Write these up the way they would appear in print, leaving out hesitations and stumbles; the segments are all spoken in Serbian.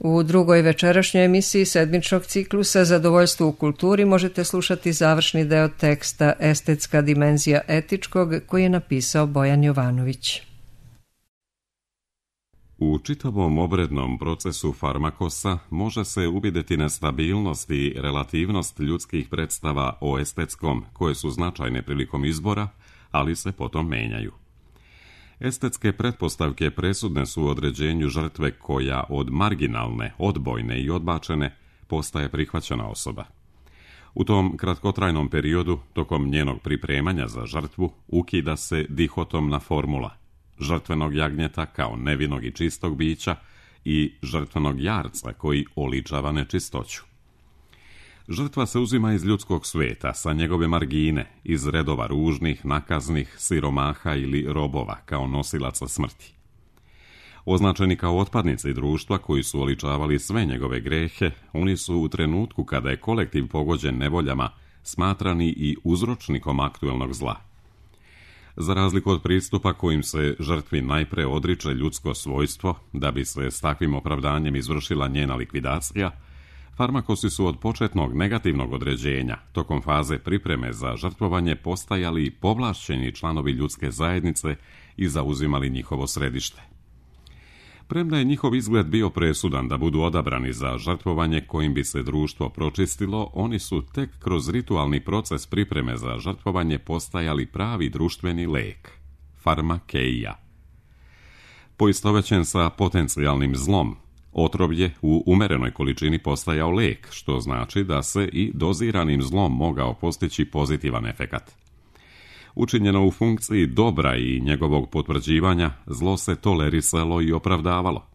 U drugoj večerašnjoj emisiji sedmičnog ciklusa Zadovoljstvo u kulturi možete slušati završni deo teksta Estetska dimenzija etičkog koji je napisao Bojan Jovanović. U čitavom obrednom procesu farmakosa može se uvidjeti nestabilnost i relativnost ljudskih predstava o estetskom, koje su značajne prilikom izbora, ali se potom menjaju. Estetske pretpostavke presudne su u određenju žrtve koja od marginalne, odbojne i odbačene postaje prihvaćena osoba. U tom kratkotrajnom periodu, tokom njenog pripremanja za žrtvu, ukida se dihotomna formula žrtvenog jagnjeta kao nevinog i čistog bića i žrtvenog jarca koji oličava nečistoću. Žrtva se uzima iz ljudskog sveta, sa njegove margine, iz redova ružnih, nakaznih, siromaha ili robova kao nosilaca smrti. Označeni kao otpadnici društva koji su oličavali sve njegove grehe, oni su u trenutku kada je kolektiv pogođen nevoljama smatrani i uzročnikom aktuelnog zla. Za razliku od pristupa kojim se žrtvi najpre odriče ljudsko svojstvo, da bi se s takvim opravdanjem izvršila njena likvidacija, farmakosi su od početnog negativnog određenja, tokom faze pripreme za žrtvovanje, postajali povlašćeni članovi ljudske zajednice i zauzimali njihovo središte. Premda je njihov izgled bio presudan da budu odabrani za žrtvovanje kojim bi se društvo pročistilo, oni su tek kroz ritualni proces pripreme za žrtvovanje postajali pravi društveni lek, farmakeija. Poistovećen sa potencijalnim zlom, otrov je u umerenoj količini postajao lek, što znači da se i doziranim zlom mogao postići pozitivan efekat. Učinjeno u funkciji dobra i njegovog potvrđivanja, zlo se tolerisalo i opravdavalo.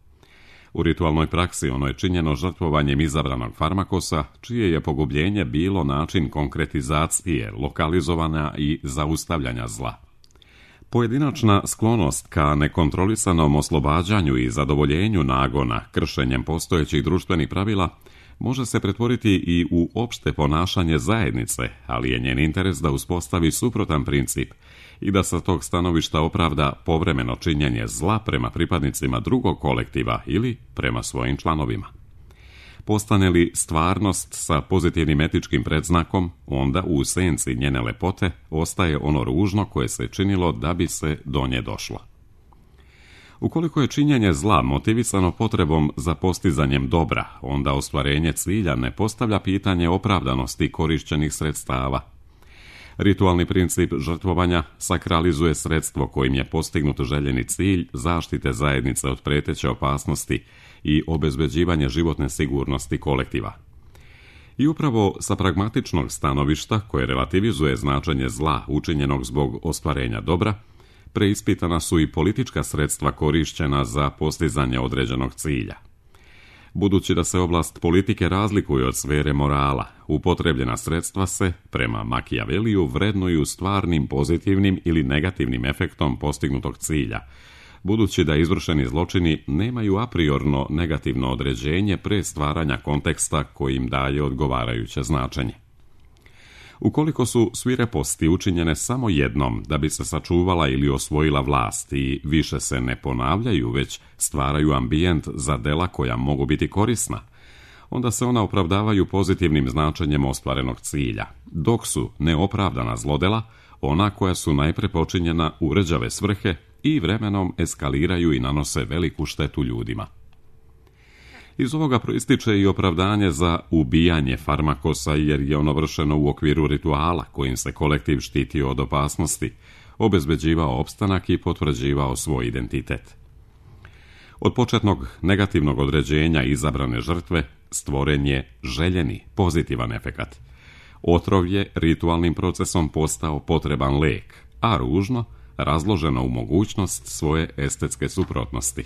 U ritualnoj praksi ono je činjeno žrtvovanjem izabranog farmakosa, čije je pogubljenje bilo način konkretizacije, lokalizovanja i zaustavljanja zla. Pojedinačna sklonost ka nekontrolisanom oslobađanju i zadovoljenju nagona kršenjem postojećih društvenih pravila može se pretvoriti i u opšte ponašanje zajednice, ali je njen interes da uspostavi suprotan princip i da sa tog stanovišta opravda povremeno činjenje zla prema pripadnicima drugog kolektiva ili prema svojim članovima. Postane li stvarnost sa pozitivnim etičkim predznakom, onda u senci njene lepote ostaje ono ružno koje se činilo da bi se do nje došlo. Ukoliko je činjenje zla motivisano potrebom za postizanjem dobra, onda ostvarenje cilja ne postavlja pitanje opravdanosti korišćenih sredstava. Ritualni princip žrtvovanja sakralizuje sredstvo kojim je postignut željeni cilj zaštite zajednice od preteće opasnosti i obezbeđivanje životne sigurnosti kolektiva. I upravo sa pragmatičnog stanovišta, koje relativizuje značenje zla učinjenog zbog ostvarenja dobra, preispitana su i politička sredstva korišćena za postizanje određenog cilja. Budući da se oblast politike razlikuje od sfere morala, upotrebljena sredstva se, prema Machiavelliju, vrednuju stvarnim pozitivnim ili negativnim efektom postignutog cilja, budući da izvršeni zločini nemaju apriorno negativno određenje pre stvaranja konteksta kojim daje odgovarajuće značenje. Ukoliko su svireposti učinjene samo jednom da bi se sačuvala ili osvojila vlast i više se ne ponavljaju, već stvaraju ambijent za dela koja mogu biti korisna, onda se ona opravdavaju pozitivnim značenjem ostvarenog cilja, dok su neopravdana zlodela ona koja su najpre počinjena u rđave svrhe i vremenom eskaliraju i nanose veliku štetu ljudima. Iz ovoga proističe i opravdanje za ubijanje farmakosa jer je ono vršeno u okviru rituala kojim se kolektiv štitio od opasnosti, obezbeđivao opstanak i potvrđivao svoj identitet. Od početnog negativnog određenja izabrane žrtve stvoren je željeni pozitivan efekat. Otrov je ritualnim procesom postao potreban lek, a ružno razloženo u mogućnost svoje estetske suprotnosti.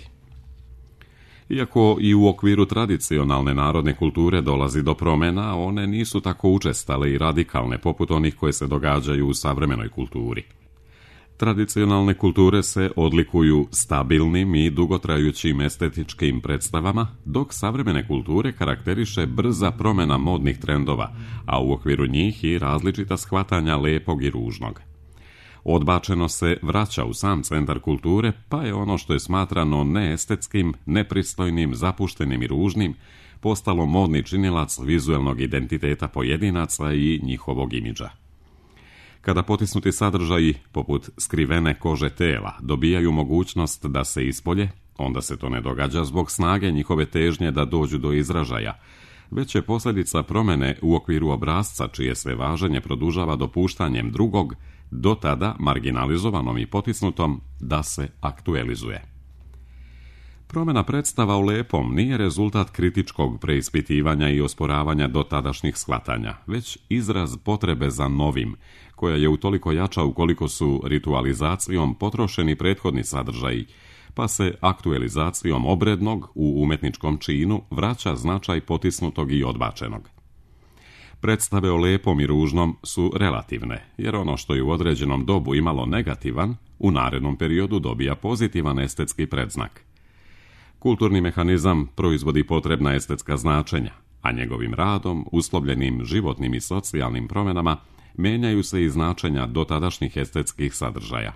Iako i u okviru tradicionalne narodne kulture dolazi do promjena, one nisu tako učestale i radikalne poput onih koje se događaju u savremenoj kulturi. Tradicionalne kulture se odlikuju stabilnim i dugotrajućim estetičkim predstavama, dok savremene kulture karakteriše brza promjena modnih trendova, a u okviru njih i različita shvatanja lepog i ružnog. Odbačeno se vraća u sam centar kulture, pa je ono što je smatrano neestetskim, nepristojnim, zapuštenim i ružnim postalo modni činilac vizuelnog identiteta pojedinaca i njihovog imidža. Kada potisnuti sadržaji, poput skrivene kože tela, dobijaju mogućnost da se ispolje, onda se to ne događa zbog snage njihove težnje da dođu do izražaja, već je posljedica promjene u okviru obrasca čije se važenje produžava dopuštanjem drugog, do tada marginalizovanom i potisnutom, da se aktualizuje. Promjena predstava u lepom nije rezultat kritičkog preispitivanja i osporavanja dotadašnjih shvatanja, već izraz potrebe za novim, koja je utoliko jača ukoliko su ritualizacijom potrošeni prethodni sadržaji, pa se aktualizacijom obrednog u umetničkom činu vraća značaj potisnutog i odbačenog. Predstave o lepom i ružnom su relativne, jer ono što je u određenom dobu imalo negativan, u narednom periodu dobija pozitivan estetski predznak. Kulturni mehanizam proizvodi potrebna estetska značenja, a njegovim radom, uslovljenim životnim i socijalnim promjenama, menjaju se i značenja dotadašnjih estetskih sadržaja.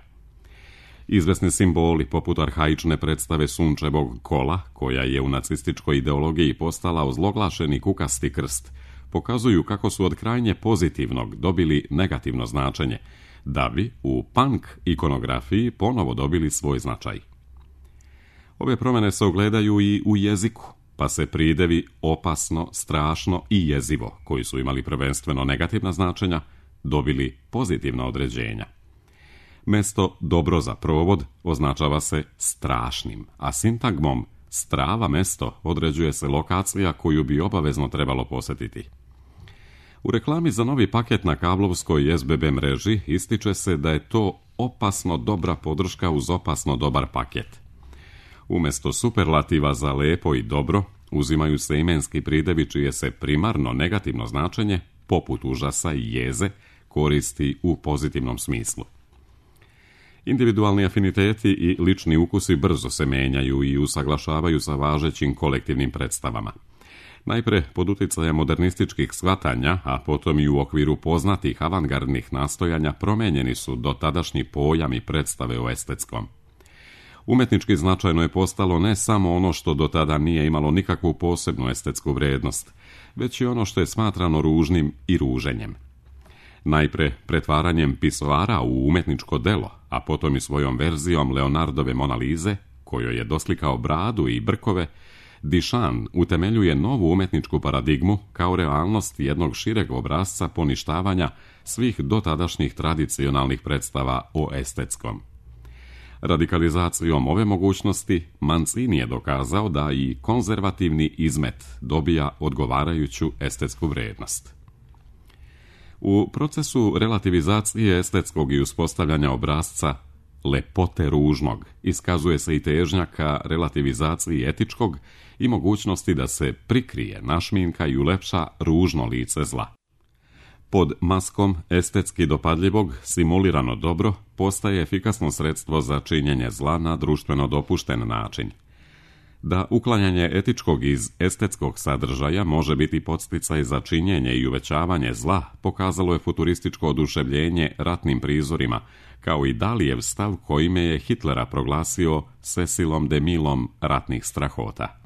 Izvesni simboli, poput arhaične predstave sunčevog kola, koja je u nacističkoj ideologiji postala ozloglašeni kukasti krst, pokazuju kako su od krajnje pozitivnog dobili negativno značenje, da bi u punk ikonografiji ponovo dobili svoj značaj. Ove promjene se ogledaju i u jeziku, pa se pridevi opasno, strašno i jezivo, koji su imali prvenstveno negativna značenja, dobili pozitivna određenja. Mesto dobro za provod označava se strašnim, a sintagmom strava mesto određuje se lokacija koju bi obavezno trebalo posjetiti. U reklami za novi paket na kablovskoj SBB mreži ističe se da je to opasno dobra podrška uz opasno dobar paket. Umjesto superlativa za lepo i dobro, uzimaju se imenski pridevi čije se primarno negativno značenje, poput užasa i jeze, koristi u pozitivnom smislu. Individualni afiniteti i lični ukusi brzo se menjaju i usaglašavaju sa važećim kolektivnim predstavama. Najpre pod utjecajem modernističkih shvatanja, a potom i u okviru poznatih avangardnih nastojanja promijenjeni su dotadašnji pojam i predstave o estetskom. Umetnički značajno je postalo ne samo ono što do tada nije imalo nikakvu posebnu estetsku vrijednost, već i ono što je smatrano ružnim i ruženjem. Najpre pretvaranjem pisoara u umetničko delo, a potom i svojom verzijom Leonardove Mona Lise, kojoj je doslikao bradu i brkove, Duchamp utemeljuje novu umetničku paradigmu kao realnost jednog šireg obrasca poništavanja svih dotadašnjih tradicionalnih predstava o estetskom. Radikalizacijom ove mogućnosti Mancini je dokazao da i konzervativni izmet dobija odgovarajuću estetsku vrijednost. U procesu relativizacije estetskog i uspostavljanja obrasca lepote ružnog iskazuje se i težnja ka relativizaciji etičkog i mogućnosti da se prikrije, našminka i ulepša ružno lice zla. Pod maskom estetski dopadljivog simulirano dobro postaje efikasno sredstvo za činjenje zla na društveno dopušten način. Da uklanjanje etičkog iz estetskog sadržaja može biti podsticaj za činjenje i uvećavanje zla, pokazalo je futurističko oduševljenje ratnim prizorima, kao i Dalijev stav kojime je Hitlera proglasio Cecilom de Milom ratnih strahota.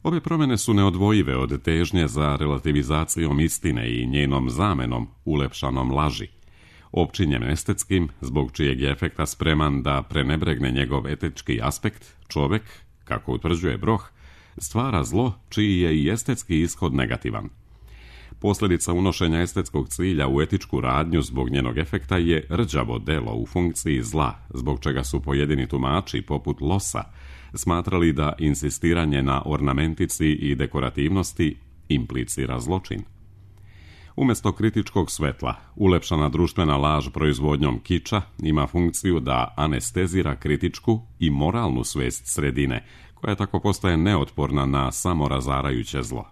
Ove promjene su neodvojive od težnje za relativizacijom istine i njenom zamenom ulepšanom laži, opčinjen estetskim, zbog čijeg je efekta spreman da prenebregne njegov etički aspekt, čovjek, kako utvrđuje Broh, stvara zlo čiji je i estetski ishod negativan. Posljedica unošenja estetskog cilja u etičku radnju zbog njenog efekta je rđavo delo u funkciji zla, zbog čega su pojedini tumači, poput Losa, smatrali da insistiranje na ornamentici i dekorativnosti implicira zločin. Umjesto kritičkog svetla, ulepšana društvena laž proizvodnjom kiča ima funkciju da anestezira kritičku i moralnu svest sredine, koja tako postaje neotporna na samorazarajuće zlo.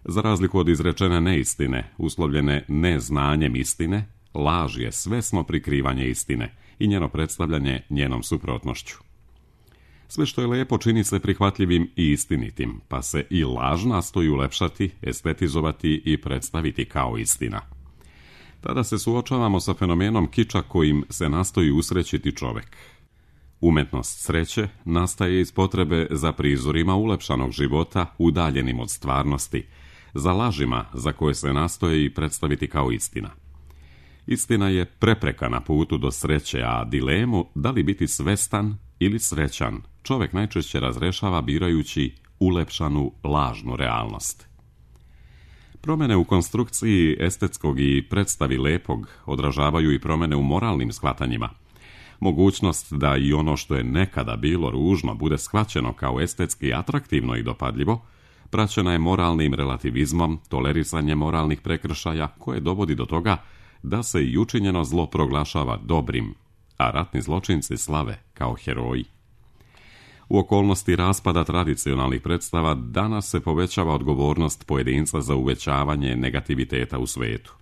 Za razliku od izrečene neistine, uslovljene neznanjem istine, laž je svesno prikrivanje istine i njeno predstavljanje njenom suprotnošću. Sve što je lepo čini se prihvatljivim i istinitim, pa se i laž nastoji ulepšati, estetizovati i predstaviti kao istina. Tada se suočavamo sa fenomenom kiča kojim se nastoji usrećiti čovek. Umetnost sreće nastaje iz potrebe za prizorima ulepšanog života udaljenim od stvarnosti, za lažima za koje se nastoje i predstaviti kao istina. Istina je prepreka na putu do sreće, a dilemu da li biti svestan ili srećan čovek najčešće razrešava birajući ulepšanu lažnu realnost. Promene u konstrukciji estetskog i predstavi lepog odražavaju i promene u moralnim shvatanjima. Mogućnost da i ono što je nekada bilo ružno bude shvaćeno kao estetski atraktivno i dopadljivo, praćena je moralnim relativizmom, tolerisanjem moralnih prekršaja koje dovodi do toga da se i učinjeno zlo proglašava dobrim, a ratni zločinci slave kao heroji. U okolnosti raspada tradicionalnih predstava danas se povećava odgovornost pojedinca za uvećavanje negativiteta u svetu.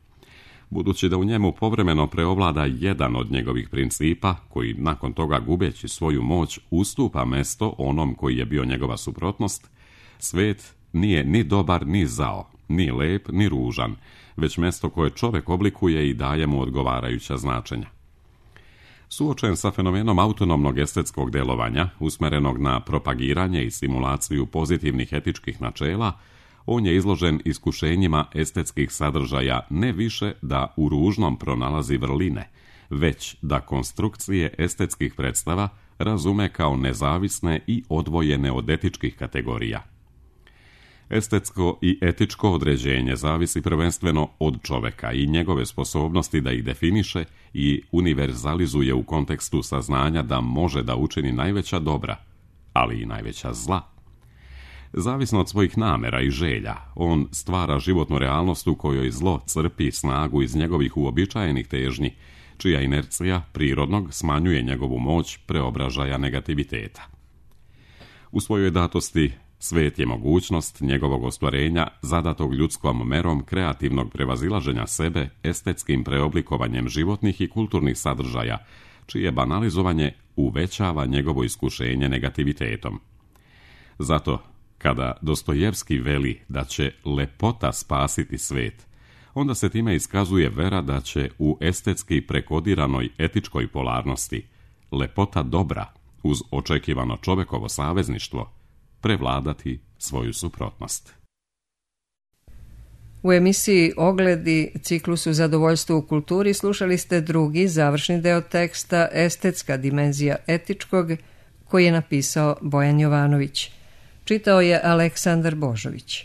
Budući da u njemu povremeno preovlada jedan od njegovih principa, koji nakon toga gubeći svoju moć ustupa mesto onom koji je bio njegova suprotnost, svet nije ni dobar ni zao, ni lep ni ružan, već mesto koje čovek oblikuje i daje mu odgovarajuća značenja. Suočen sa fenomenom autonomnog estetskog delovanja, usmerenog na propagiranje i simulaciju pozitivnih etičkih načela, on je izložen iskušenjima estetskih sadržaja ne više da u ružnom pronalazi vrline, već da konstrukcije estetskih predstava razume kao nezavisne i odvojene od etičkih kategorija. Estetsko i etičko određenje zavisi prvenstveno od čoveka i njegove sposobnosti da ih definiše i univerzalizuje u kontekstu saznanja da može da učini najveća dobra, ali i najveća zla. Zavisno od svojih namera i želja, on stvara životnu realnost u kojoj zlo crpi snagu iz njegovih uobičajenih težnji, čija inercija prirodnog smanjuje njegovu moć preobražaja negativiteta. U svojoj datosti svet je mogućnost njegovog ostvarenja zadatog ljudskom merom kreativnog prevazilaženja sebe estetskim preoblikovanjem životnih i kulturnih sadržaja, čije banalizovanje uvećava njegovo iskušenje negativitetom. Zato, kada Dostojevski veli da će lepota spasiti svet, onda se time iskazuje vera da će u estetski prekodiranoj etičkoj polarnosti lepota dobra uz očekivano čovekovo savezništvo prevladati svoju suprotnost. U emisiji Ogledi, ciklusu Zadovoljstvo u kulturi, slušali ste drugi završni deo teksta Estetska dimenzija etičkog, koji je napisao Bojan Jovanović. Čitao je Aleksandar Božović.